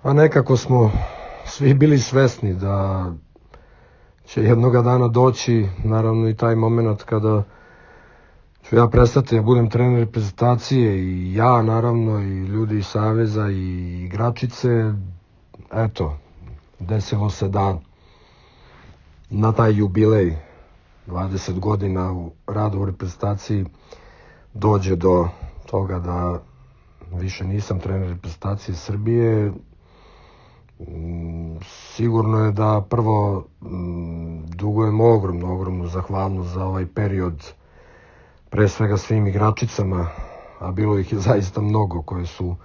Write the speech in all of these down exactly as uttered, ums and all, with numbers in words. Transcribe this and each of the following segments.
A nekako smo svi bili svesni da će jednoga dana doći, naravno i taj moment kada ću ja prestati da budem trener reprezentacije, i ja naravno, i ljudi iz Saveza i igračice. Eto, desilo se da na taj jubilej dvadeset godina u radu u reprezentaciji dođe do toga da više nisam trener reprezentacije Srbije. Sigurno je da prvo dugujem ogromnu, ogromnu zahvalnost za ovaj period, pre svega svim igračicama, a bilo ih je zaista mnogo koje su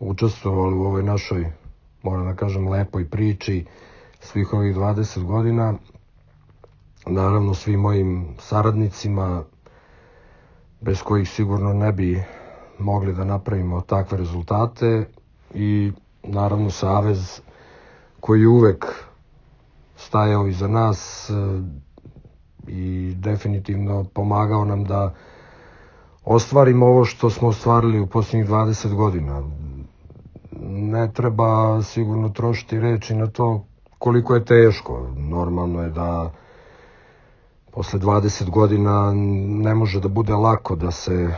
učestvovali u ovoj našoj, moram da kažem, lepoj priči svih ovih dvadeset godina. Naravno svim mojim saradnicima, bez kojih sigurno ne bi mogli da napravimo takve rezultate, i naravno Savez koji je uvek stajao iza nas i definitivno pomagao nam da ostvarimo ovo što smo ostvarili u posljednjih dvadeset godina. Ne treba sigurno trošiti reči na to koliko je teško. Normalno je da posle dvadeset godina ne može da bude lako da se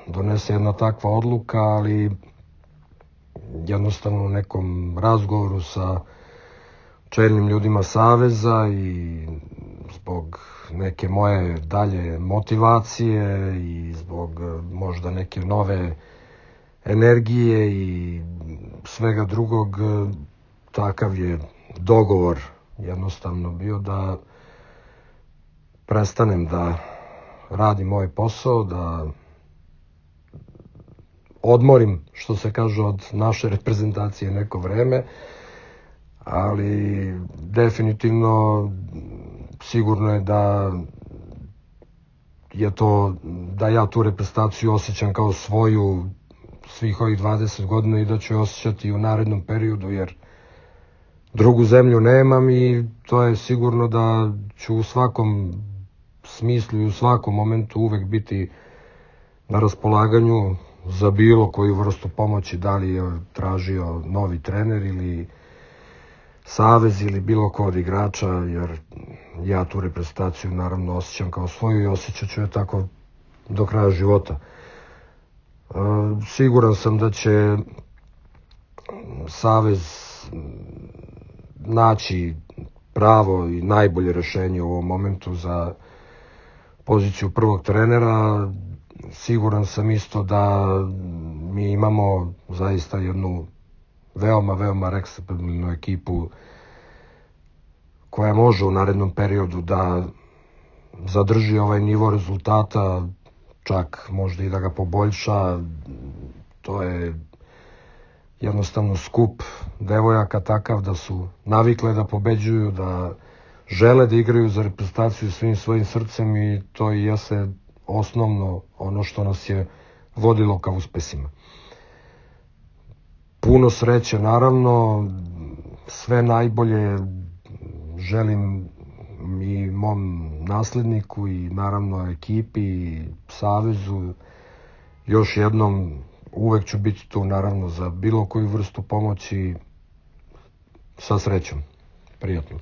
donese jedna takva odluka, ali jednostavno u nekom razgovoru sa čelnim ljudima Saveza i zbog neke moje dalje motivacije i zbog možda neke nove energije i svega drugog, takav je dogovor jednostavno bio da prestanem da radim ovaj posao, da odmorim, što se kaže, od naše reprezentacije neko vreme, ali definitivno sigurno je da je to, da ja tu reprezentaciju osjećam kao svoju svih ovih dvadeset godina i da ću je osjećati i u narednom periodu, jer drugu zemlju nemam, i to je sigurno da ću u svakom smislu i u svakom momentu uvek biti na raspolaganju za bilo koju vrstu pomoći, da li je tražio novi trener ili Savez ili bilo ko od igrača, jer ja tu reprezentaciju naravno osjećam kao svoju i osjećat ću je tako do kraja života. Siguran sam da će Savez naći pravo i najbolje rešenje u ovom momentu za poziciju prvog trenera. Siguran sam isto da mi imamo zaista jednu veoma, veoma respektabilnu ekipu koja može u narednom periodu da zadrži ovaj nivo rezultata, čak možda i da ga poboljša. To je jednostavno skup devojaka takav da su navikle da pobeđuju, da žele da igraju za reprezentaciju svim svojim srcem, i to i jeste osnovno ono što nas je vodilo ka uspesima. Puno sreće, naravno, sve najbolje želim i mom nasledniku i naravno ekipi i Savezu. Još jednom, uvek ću biti tu naravno za bilo koju vrstu pomoći. Sa srećom. Prijatno.